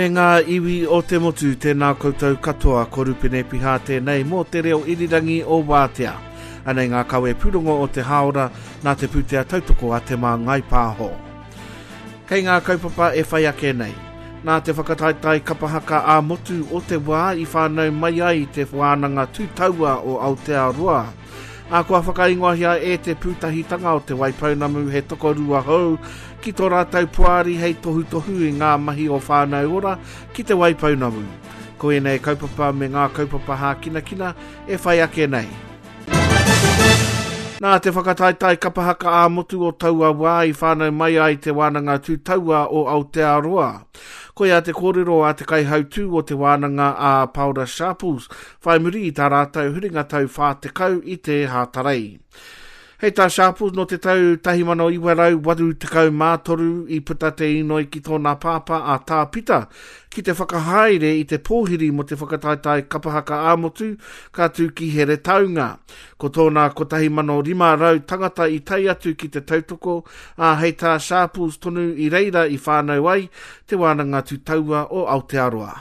E ngā iwi o te motu, tēnā koutou katoa, ko Rupene Pihā tēnei mō te reo irirangi o Wātea. Anei ngā kawe pūrongo o te hāora nā te pūtea tautoko a Te Māngai Pāho. Kei ngā kaupapa e whai ake nei. Nā te whakataetae kapa haka ā-motu o te wā i whānau mai ai te wānanga tūtaua o Aotearoa. Ā, kua whakaingoahia e te pūtahitanga o Te Waipounamu he tokorua hou ki tō rātou poari hei tohutohu i ngā mahi o Whānau Ora ki Te Waipounamu. Ko ēnei kaupapa me ngā kaupapa hākinakina e whai ake nei. Nā te whakataetae kapa haka ā-motu o taua wā i whānau mai ai Te Wānanga Tū Taua o Aotearoa. Koia te kōrero a te kaihautū o te wānanga a Paora Sharples, whai muri i tā rātou huringa tau 40 i te Hātarei. Hei tā Sharples, nō te tau 1983 i puta te inoi ki tōna pāpā a Tā Pita ki te whakahaere i te pōhiri mō te whakataetae kapa haka ā-motu ka tū ki Heretaunga. Ko tōna 1,500 tangata i tae atu ki te tautoko, ā, hei tā Sharples tonu i reira i whānau ai Te Wānanga Tūtaua o Aotearoa.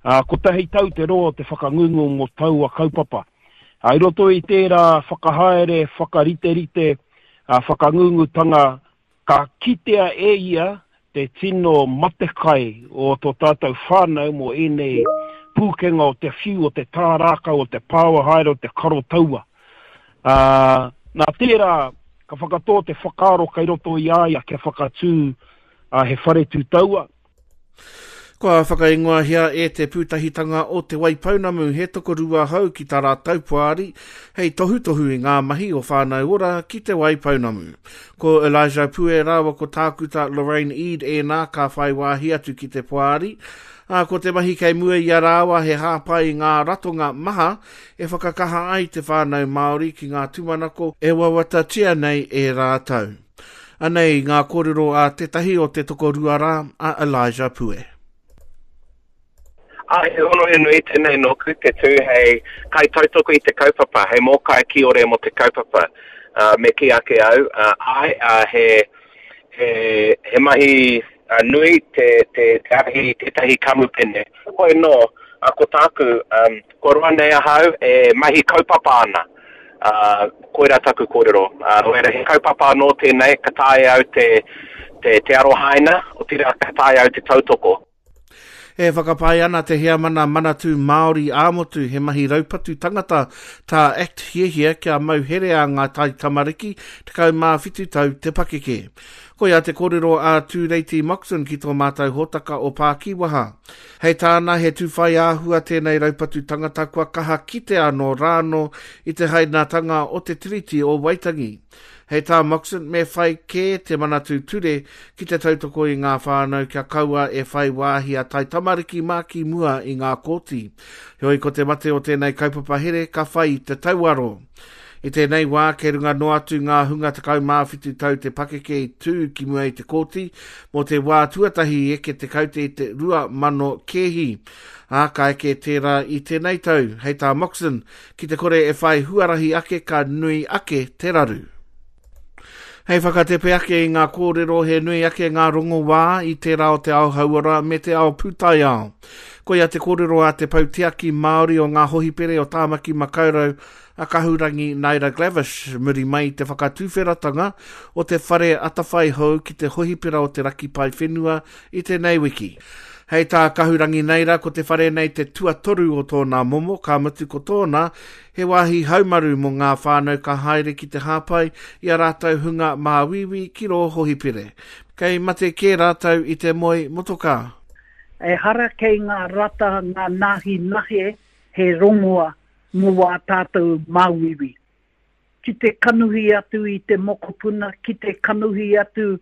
Ā, kotahi tau te roa o te whakangungu mō taua kaupapa. Ā, i roto i tērā whakahaere, whakariterite, ā, whakangungutanga, ka kitea e ia te tino matekai o tō tātou whānau mō ēnei pūkenga o te whiu, o te tā rākau, o te pāua haere, o te karo taua. Ā, nā tērā, ka whakatō te whakaaro kei roto i a ia kia whakatū he whare tū taua. Kua whakaingoahia e te Pūtahitanga o Te Waipounamu he tokorua hou ki tā rātou poari hei tohutohu i ngā mahi o Whānau Ora ki Te Waipounamu. Ko Elijah Pue rāua ko Tākuta Lorraine Eade ēnā ka whai wāhi atu ki te poari, ā, ko te mahi kei mua i a rāua he hāpai i ngā ratonga maha e whakakaha ai te whānau Māori ki ngā tūmanako e wawatatia nei e rātou. Anei ngā kōrero a tētahi o te tokorua rā, a Elijah Pue. Ā, he hono he nui tēnei nōku te tū hei kaitautoko i te kaupapa, hei mōkai kiore mō te kaupapa. Uh, me kī ake au, uh, āe, uh, he, he, he mahi uh, nui te, te, te ārahi i tētahi kamupene. Hoi nō, uh, ko tāku, um, Kua roa nei ahau e mahi kaupapa ana. Ā, koirā taku kōrero. Ā, nō reira, he kaupapa anō tēnei, ka taea au te, te, te arohaina, otirā ka taea au te tautoko. E whakapae ana te heamana Manatū Māori ā-motu he mahi raupatu tangata tā act hiahia kia mau herea ngā taitamariki 17 tau te pakeke. Koia te kōrero a Tūreiti Moxon ki tō mātou hōtaka o Pākiwaha. Hei tāna, he tūwhai āhua tēnei raupatu tangata kua kaha kitea nō rānō i te hainatanga o te Tiriti o Waitangi. Hei tā Moxon, me whai kē te Manatū Ture ki te tautoko i ngā whānau kia kaua e whai wāhi a taitamariki mā ki mua i ngā kōti. Heoi ko te mate o tēnei kaupapa here ka whai i te tauaro. I tēnei wā, kei runga noa atu ngā hunga 17 tau te pakeke i tū ki mua i te kōti mō te wā tuatahi i eke te kaute i te 2000 kēhi. Ā, ka eke tērā i tēnei tau, hei tā Moxon, ki te kore e whai huarahi ake ka nui ake te raru. Hei whakatepe ake i ngā kōrero he nui ake ngā rongoā i tērā o te ao hauora me te ao pūtaiao. Koia te kōrero a te Pou Tiaki Māori o ngā Hohipere o Tāmaki Makaurau a Kahurangi Naida Glavish muri mai i te whakatuwheratanga o te whare atawhai hou ki te hohipera o te Raki Paewhenua i tēnei wiki. Hei tā Kahurangi Naida ko te whare nei te tuatoru o tōna momo, ka mutu ko tōna He wāhi haumaru mō ngā whānau ka haere ki te hāpai i a rātou hunga māuiui ki rō hohipere. Kei mate kē rātou i te moe motokā. Ehara kei ngā rata ngā nāhi nahe he rongoa mō wā tātou māuiui. Ki te kanuhi atu i te mokopuna, ki te kanuhi atu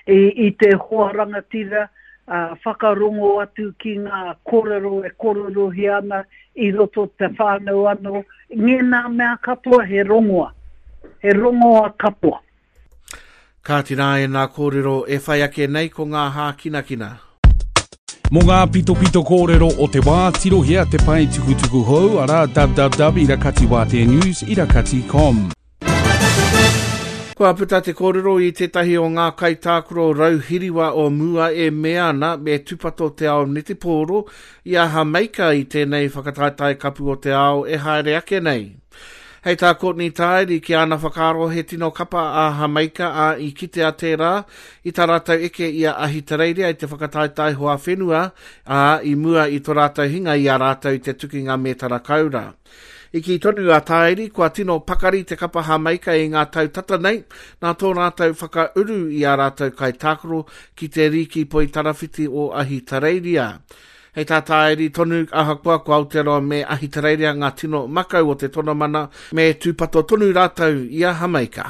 i te hoa rangatira, whakarongo atu ki ngā kōrero e kōrerohia ana i roto te whānau anō, ngēnā mea katoa he rongoa, he rongoa katoa. Kāti rā ēnā kōrero e whai ake nei ko ngā hākinakina. Mō ngā pitopito kōrero o te wā, tirohia te pae tukutuku hou, arā www irakatiwāteanews irakati com. Kua puta te kōrero i tētahi o ngā kaitākaro rauhiriwa o mua e mea ana me tūpato te ao netipōro i a Hameika i tēnei whakataetae kapu o te ao e haere ake nei. Hei tā Courtney Tairi ki āna whakaaro he tino kapa a Hameika ā i kitea tērā i tā rātou eke i a Ahitereiria i te whakataetae hoa whenua ā i mua i to rātou hinga i a rātou i te tukinga mētara koura. I kī tonu a Tāiri kua tino pakari te kapa Hāmeika i ngā tau tata nei nā tō rātou whakauru i ā rātou kaitākaro ki te Rīki Poitarawhiti o Ahitereiria. Hei tā Tāiri tonu, ahakoa ko Aotearoa me Ahitereiria ngā tino makau o te tonamana, me tūpato tonu rātou i a Hameika.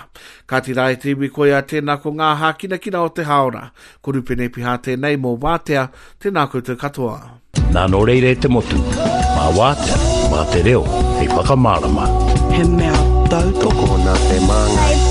Kāti rā e te iwi koia tēnā ko ngā hākinakina o te hāora. Ko Rupene Piha tēnei mō Wātea, tēnā koutou katoa. Nā nō reira e te motu, mā Wātea, mā te reo hei whakamārama. He mea tautoko. Tokona te māngai.